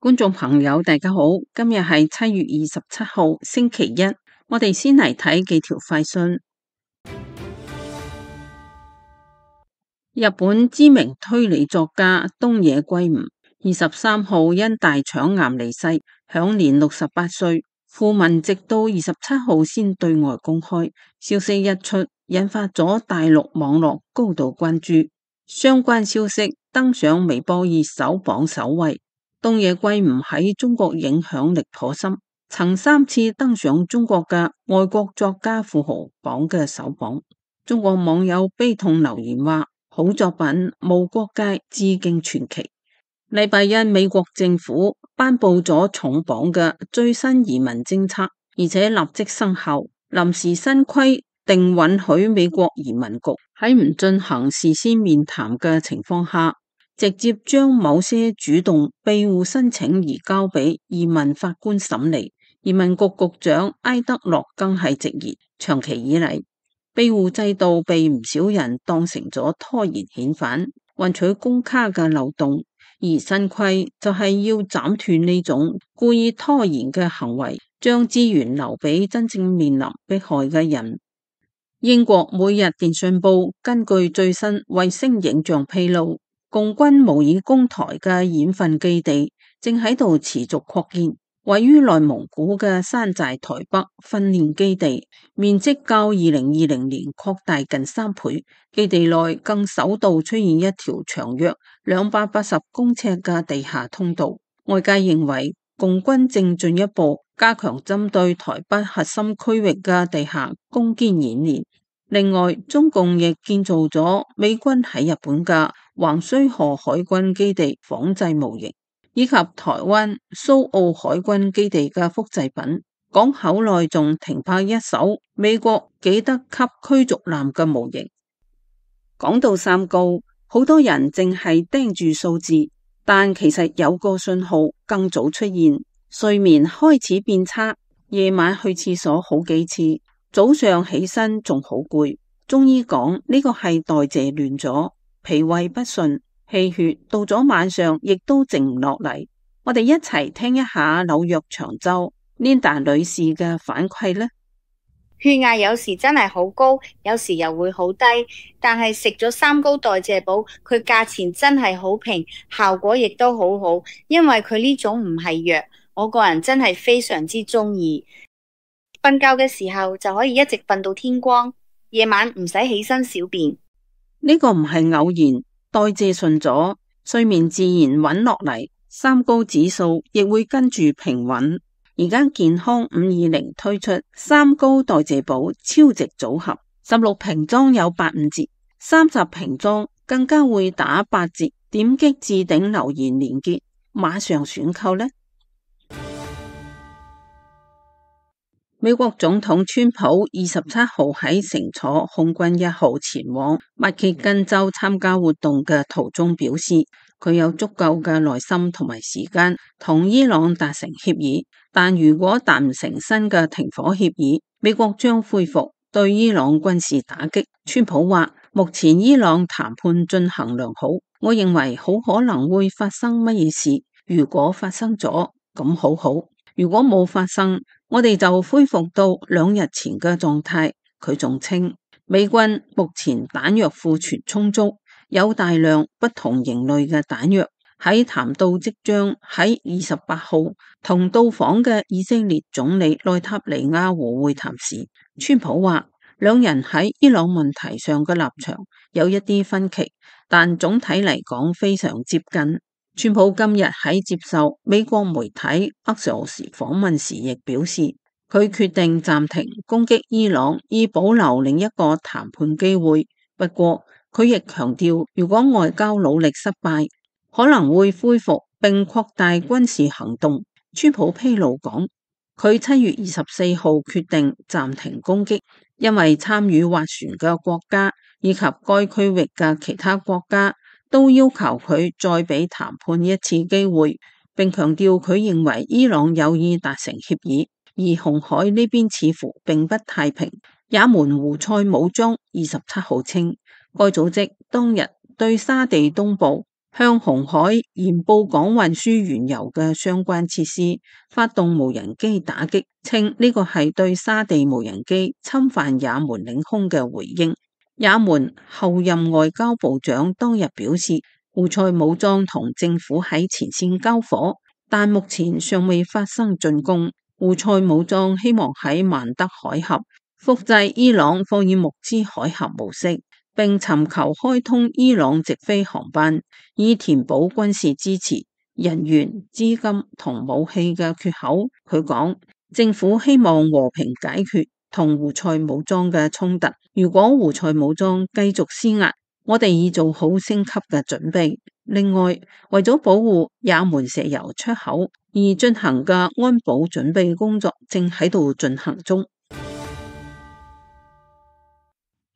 觀眾朋友，大家好，今日係7月27號，星期一。我哋先嚟睇幾條快訊。日本知名推理作家東野圭吾23號因大腸癌離世，享年68歲。訃聞直到27號先對外公開，消息一出，引發咗大陸網絡高度關注。相關消息登上微博熱搜榜首位。東野圭吾喺中國影響力頗深，曾3次登上中國嘅外國作家富豪榜嘅首榜。中國網友悲痛留言話：好作品，無國界，致敬傳奇。禮拜一，美國政府頒布咗重磅嘅最新移民政策，而且立即生效。臨時新規定允許美國移民局喺唔進行事先面談嘅情況下，直接將某些主動庇護申請移交俾移民法官審理。移民局局長埃德洛更係直言，長期以嚟，庇護制度被唔少人當成咗拖延遣返、換取公卡嘅漏洞，而新規就係要斬斷呢種故意拖延嘅行為，將資源留俾真正面臨迫害嘅人。英國每日電訊報根據最新衛星影像披露，共軍模擬攻台嘅演訓基地正喺度持續擴建，位於內蒙古嘅山寨台北訓練基地，面積較2020年擴大近3倍，基地內更首度出現一條長約280公尺嘅地下通道。外界認為共軍正進一步加強針對台北核心區域嘅地下攻堅演練。另外，中共亦建造咗美軍喺日本嘅橫須賀海軍基地仿製模型，以及台灣蘇澳海軍基地嘅複製品。港口內仲停泊一艘美國紀德級驅逐艦嘅模型。講到三高，好多人淨係盯住數字，但其實有個信號更早出現，睡眠開始變差，夜晚去廁所好幾次，早上起身仲好攰。中醫講呢個係代謝亂咗，脾胃不順，氣血到咗晚上亦都靜唔落嚟。我哋一齊聽一下紐約長洲 Linda 女士嘅反饋呢。血壓有時真係好高，有時又會好低，但係食咗三高代謝寶，佢價錢真係好平，效果亦都好好，因為佢呢種唔係藥，我個人真係非常之中意。瞓覺嘅時候就可以一直瞓到天光，夜晚唔使起身小便。呢個唔係偶然，代謝順咗，睡眠自然穩落嚟，三高指數亦會跟住平穩。而家健康520推出三高代謝寶超值組合，16瓶裝有85折，30瓶裝更加會打8折。點擊置頂留言連結，馬上選購呢。美國總統川普27號喺乘坐空軍1號前往密歇根州參加活動嘅途中表示，佢有足夠嘅耐心同埋時間同伊朗達成協議，但如果達唔成新嘅停火協議，美國將恢復對伊朗軍事打擊。川普話，目前伊朗談判進行良好，我認為好可能會發生乜嘢事，如果發生咗，咁好好，如果冇發生，我哋就恢復到2日前嘅狀態。佢仲稱，美軍目前彈藥庫存充足，有大量不同型類嘅彈藥。喺談到即將喺28號同到訪嘅以色列總理內塔尼亞胡會談時，川普話兩人喺伊朗問題上嘅立場有一啲分歧，但總體嚟講非常接近。川普今日喺接受美國媒體 Axios 訪問時亦表示，佢決定暫停攻擊伊朗，以保留另一個談判機會。不過佢亦強調，如果外交努力失敗，可能會恢復並擴大軍事行動。川普披露講，佢7月24號決定暫停攻擊，因為參與斡旋嘅國家以及該區域嘅其他國家都要求佢再俾談判一次機會，並強調佢認為伊朗有意達成協議，而紅海呢邊似乎並不太平。也門胡塞武裝27號稱，該組織當日對沙地東部向紅海沿布港運輸原油嘅相關設施發動無人機打擊，稱呢個係對沙地無人機侵犯也門領空嘅回應。也門後任外交部長當日表示，胡塞武裝同政府喺前線交火，但目前尚未發生進攻。胡塞武裝希望喺曼德海峽複製伊朗霍爾木茲海峽模式，並尋求開通伊朗直飛航班，以填補軍事支持、人員、資金同武器嘅缺口。佢講，政府希望和平解決同胡塞武裝嘅衝突。如果胡塞武裝繼續施壓，我哋已做好升級嘅準備。另外，為咗保護也門石油出口而進行嘅安保準備工作正喺度進行中。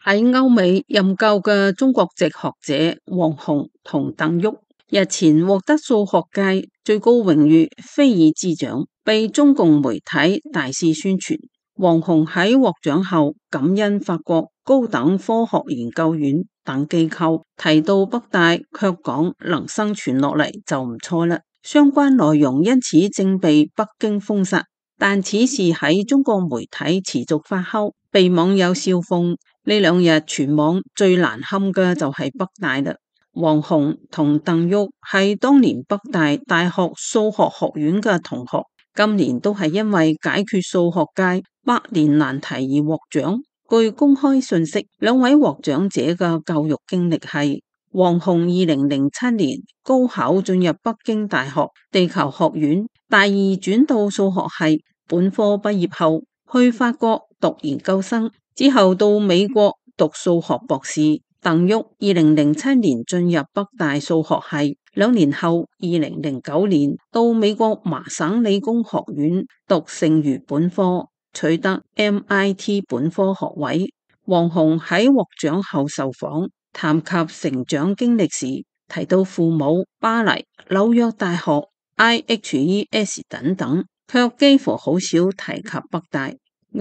喺歐美任教嘅中國籍學者王鴻同鄧旭日前獲得數學界最高榮譽菲爾茲獎，被中共媒體大肆宣傳。王鴻喺獲獎後感恩法國高等科學研究院等機構，提到北大卻講能生存落嚟就唔錯啦。相關內容因此正被北京封殺，但此事喺中國媒體持續發酵，被網友笑諷。呢兩日全網最難堪嘅就係北大啦。王鴻同鄧旭係當年北大大學數學學院嘅同學，今年都係因為解決數學界百年難題而獲獎。據公開信息，兩位獲獎者嘅教育經歷係：王鴻2007年高考進入北京大學地球學院，大二轉到數學系，本科畢業後去法國讀研究生，之後到美國讀數學博士。鄧旭2007年進入北大數學系，2年後2009年到美國麻省理工學院讀剩餘本科，取得 MIT 本科學位。王鴻喺獲獎後受訪，談及成長經歷時，提到父母、巴黎、紐約大學、IHES 等等，卻幾乎好少提及北大。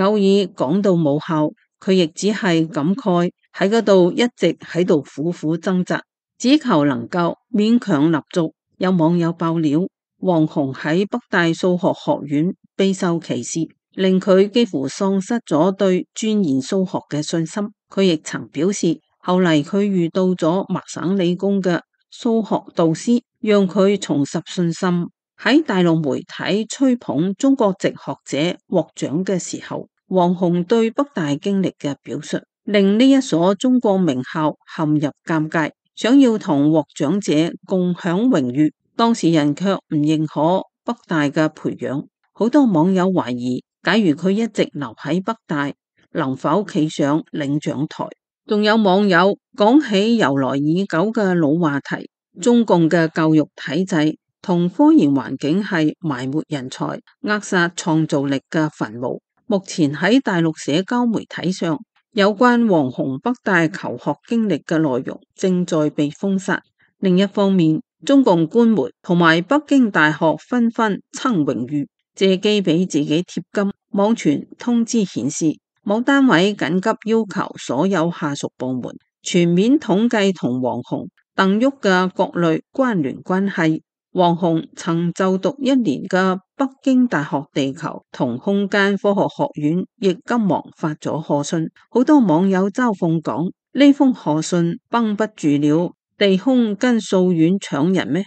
偶爾講到母校，佢亦只係感慨喺嗰度一直喺度苦苦掙扎，只求能夠勉強立足。有網友爆料，王鴻喺北大數學學院備受歧視，令佢幾乎喪失咗對鑽研數學嘅信心。佢亦曾表示，後嚟佢遇到咗麻省理工嘅數學導師，讓佢重拾信心。喺大陸媒體吹捧中國籍學者獲獎嘅時候，王鴻對北大經歷嘅表述，令呢一所中國名校陷入尷尬，想要同獲獎者共享榮譽，當事人卻唔認可北大嘅培養。好多網友懷疑，假如佢一直留喺北大，能否企上領獎台？仲有網友講起由來已久嘅老話題，中共嘅教育體制同科研環境係埋沒人才、扼殺創造力嘅墳墓。目前喺大陸社交媒體上，有關王鴻北大求學經歷嘅內容正在被封殺。另一方面，中共官媒同埋北京大學紛紛蹭榮譽，借機俾自己貼金。網傳通知顯示，某單位緊急要求所有下屬部門全面統計同王鴻、鄧旭嘅各類關聯關係。王鴻曾就讀1年嘅北京大學地球同空間科學學院，亦急忙發咗賀信。好多網友嘲諷講，呢封賀信繃不住了，地空跟數院搶人咩？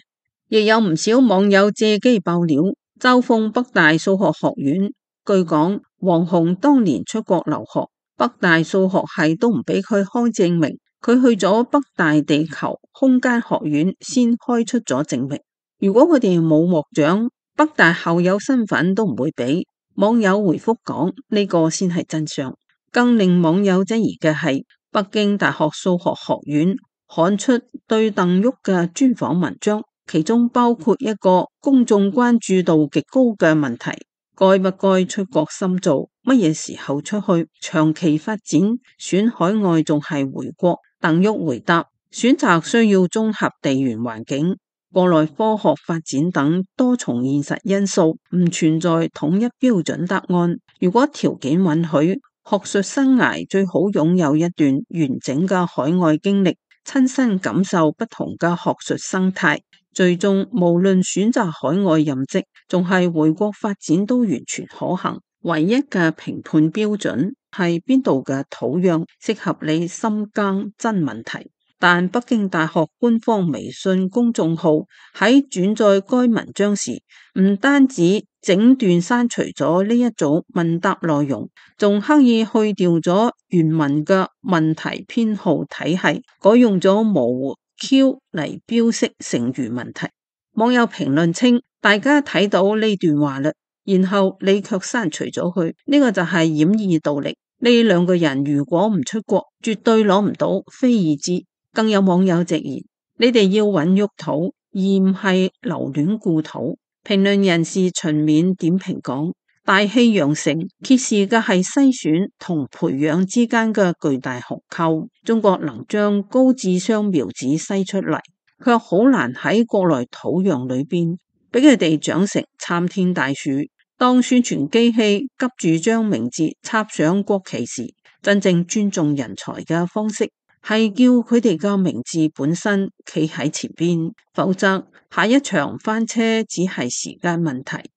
亦有唔少網友借機爆料，嘲諷北大數學學院。據講，王鴻當年出國留學，北大數學系都唔俾佢開證明，佢去咗北大地球空間學院先開出咗證明。如果佢哋冇獲獎，北大校友身份都唔會俾。網友回覆講，呢個先係真相。更令網友質疑嘅係，北京大學數學學院刊出對鄧旭嘅專訪文章，其中包括一個公眾關注度極高嘅問題：該不該出國深造？乜嘢時候出去？長期發展選海外仲係回國？鄧旭回答：選擇需要綜合地緣環境、國內科學發展等多重現實因素，唔存在統一標準答案。如果條件允許，學術生涯最好擁有一段完整嘅海外經歷，親身感受不同嘅學術生態，最終無論選擇海外任職，仲係回國發展都完全可行。唯一嘅評判標準係邊度嘅土壤適合你深耕真問題。但北京大學官方微信公眾號喺轉載該文章時，唔單止整段刪除咗呢一組問答內容，仲刻意去掉咗原文嘅問題編號體系，改用咗模糊 Q 嚟標識剩餘問題。網友評論稱，大家睇到呢段話啦，然後你卻刪除咗佢，呢個就係掩耳盜鈴。呢兩個人如果唔出國，絕對攞唔到非議之。更有網友直言，你哋要穩沃土，而唔係留戀故土。評論人士秦勉點評講，大器陽成揭示嘅係篩選同培養之間嘅巨大鴻溝。中國能將高智商苗子篩出嚟，卻好難喺國內土壤裏邊俾佢哋長成參天大樹。當宣傳機器急住將名字插上國旗時，真正尊重人才嘅方式係叫佢哋嘅名字本身企喺前邊，否則下一場翻車只係時間問題。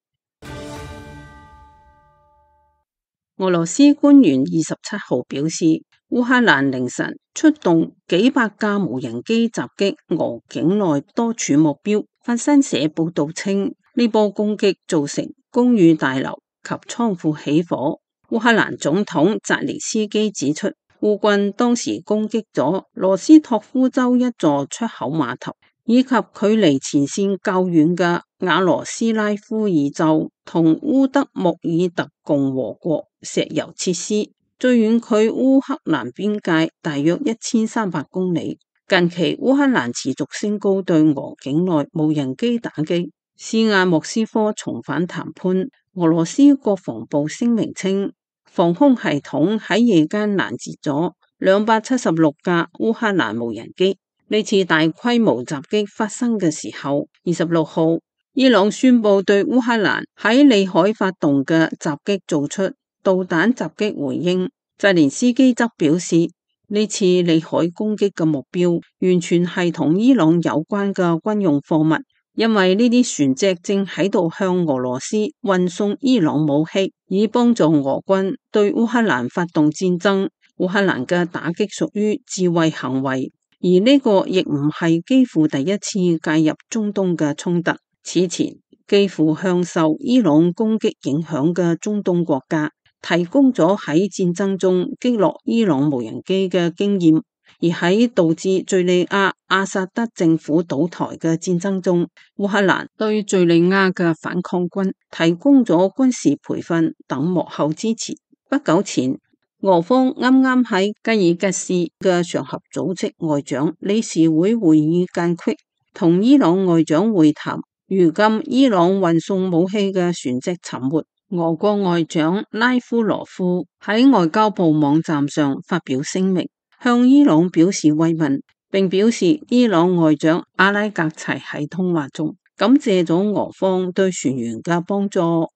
俄羅斯官員27號表示，烏克蘭凌晨出動幾百架無人機襲擊俄境內多處目標。法新社報道稱，呢波攻擊造成公寓大樓及倉庫起火。烏克蘭總統澤連斯基指出，烏軍當時攻擊咗羅斯托夫州一座出口碼頭，以及距離前線較遠嘅瓦羅斯拉夫爾州同烏德穆爾特共和國石油設施，最遠距烏克蘭邊界大約1300公里。近期烏克蘭持續升高對俄境內無人機打擊，施壓莫斯科重返談判。俄羅斯國防部聲明稱，防空系統喺夜間攔截咗276架烏克蘭無人機。呢次大規模襲擊發生嘅時候，26號，伊朗宣布對烏克蘭喺裏海發動嘅襲擊做出導彈襲擊回應。澤連斯基則表示，呢次裏海攻擊嘅目標完全係同伊朗有關嘅軍用貨物。因為呢啲船隻正喺度向俄羅斯運送伊朗武器，以幫助俄軍對烏克蘭發動戰爭。烏克蘭嘅打擊屬於自衛行為，而呢個亦唔係基輔第一次介入中東嘅衝突。此前，基輔向受伊朗攻擊影響嘅中東國家提供咗喺戰爭中擊落伊朗無人機嘅經驗。而喺導致敘利亞阿薩德政府倒台嘅戰爭中，烏克蘭對敘利亞嘅反抗軍提供咗軍事培訓等幕後支持。不久前，俄方啱啱喺吉爾吉斯嘅上合組織外長理事會會議間隙同伊朗外長會談。如今伊朗運送武器嘅船隻沉沒，俄國外長拉夫羅夫喺外交部網站上發表聲明，向伊朗表示慰問，並表示伊朗外長阿拉格齊喺通話中感謝咗俄方對船員嘅幫助。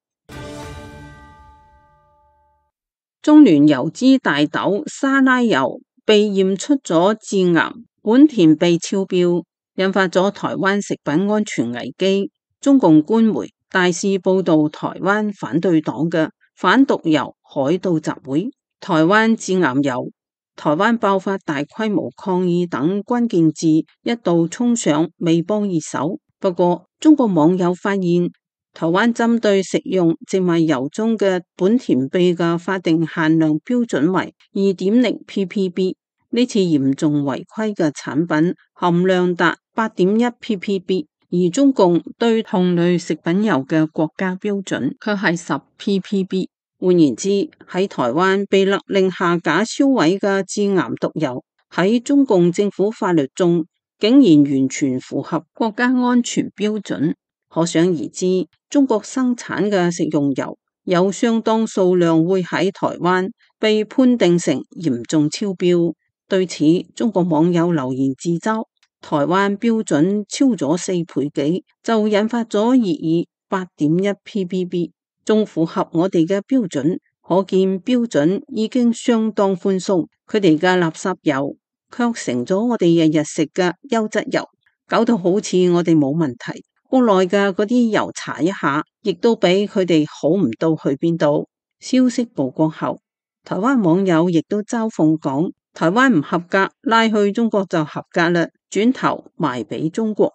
中聯油脂大豆沙拉油被驗出咗致癌苯田秘超標，引發咗台灣食品安全危機。中共官媒大肆報道台灣反對黨嘅反毒油海盜集會，台灣致癌油，台灣爆發大規模抗議等關鍵字一度衝上微博熱搜。不過，中國網友發現，台灣針對食用植物油中嘅苯田秘嘅法定限量標準為2.0 ppb， 呢次嚴重違規嘅產品含量達8.1 ppb， 而中共對同類食品油嘅國家標準卻係10 ppb。換言之，喺台灣被勒令下架銷毀嘅致癌毒油，喺中共政府法律中竟然完全符合國家安全標準。可想而知，中國生產嘅食用油有相當數量會喺台灣被判定成嚴重超標。對此，中國網友留言自嘲，台灣標準超咗4倍幾，就引發咗熱議8.1 ppb。仲符合我哋嘅標準，可見標準已經相當寬鬆。佢哋嘅垃圾油卻成咗我哋日日食嘅優質油，搞到好似我哋冇問題。國內嘅嗰啲油查一下，亦都比佢哋好唔到去邊度。消息曝光後，台灣網友亦都嘲諷講，台灣唔合格，拉去中國就合格啦，轉頭賣俾中國。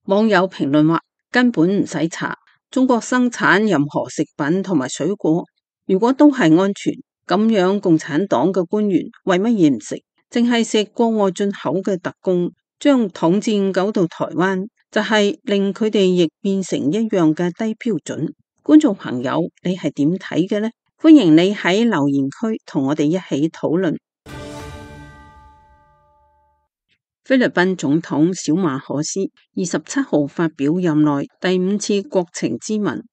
網友評論話，根本唔使查，中國生產任何食品同埋水果，如果都係安全，咁樣共產黨嘅官員為乜嘢唔食？淨係食國外進口嘅特供，將統戰搞到台灣，就係令佢哋亦變成一樣嘅低標準。觀眾朋友，你係點睇嘅呢？歡迎你喺留言區同我哋一起討論。菲律賓總統小馬可斯27號發表任內第5次國情咨文，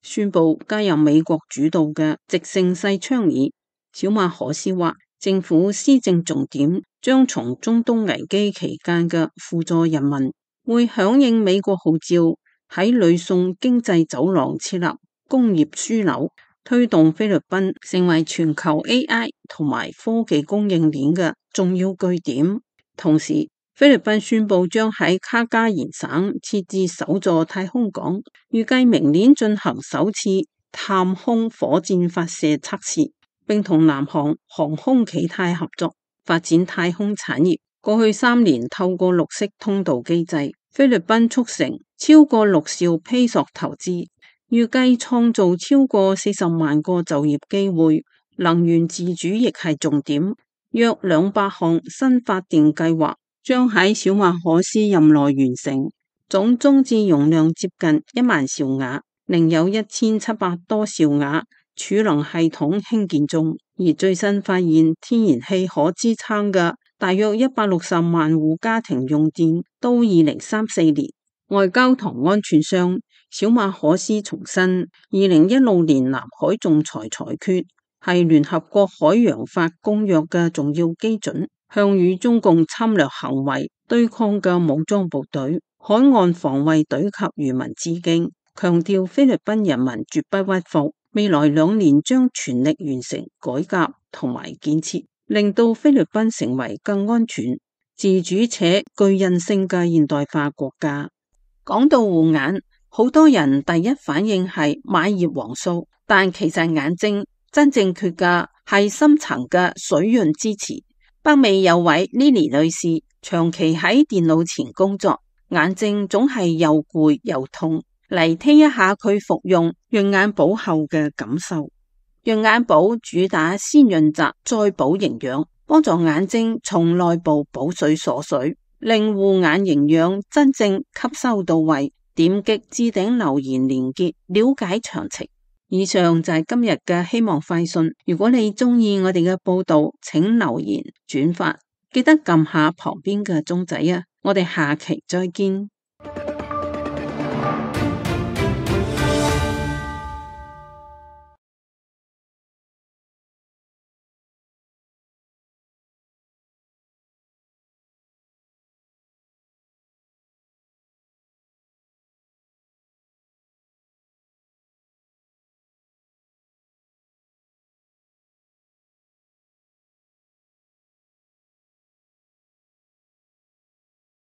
宣布加入美國主導嘅直盛世倡議。小馬可斯話，政府施政重點將從中東危機期間嘅輔助人民，會響應美國號召，喺呂宋經濟走廊設立工業樞紐，推動菲律賓成為全球 AI 同埋科技供應鏈嘅重要據點。同時，菲律賓宣布將喺卡加延省設置首座太空港，預計明年進行首次探空火箭發射測試，並同南韓航空企態合作發展太空產業。過去3年，透過綠色通道機制，菲律賓促成超過6兆披索投資，預計創造超過40萬個就業機會。能源自主亦係重點，約200項新發電計劃將喺小馬可斯任內完成，總裝置容量接近1萬兆瓦，另有1700多兆瓦儲能系統興建中。而最新發現，天然氣可支撐嘅大約160萬戶家庭用電到2034年。外交同安全上，小馬可斯重申2016年南海仲裁裁決係聯合國海洋法公約嘅重要基準，向與中共侵略行為對抗嘅武裝部隊、海岸防衛隊及漁民致敬，強調菲律賓人民絕不屈服，未來2年將全力完成改革同埋建設，令到菲律賓成為更安全、自主且具韌性嘅現代化國家。講到護眼，好多人第一反應係買葉黃素，但其實眼睛真正缺嘅係深層嘅水潤支持。北美有位 Lily 女士長期喺電腦前工作，眼睛總係又攰又痛。嚟聽一下佢服用潤眼寶後嘅感受。潤眼寶主打先潤澤再補營養，幫助眼睛從內部補水鎖水，令護眼營養真正吸收到位。點擊置頂留言連結了解詳情。以上就係今日嘅希望快訊。如果你中意我哋嘅報道，請留言轉發，記得撳下旁邊嘅鐘仔啊！我哋下期再見。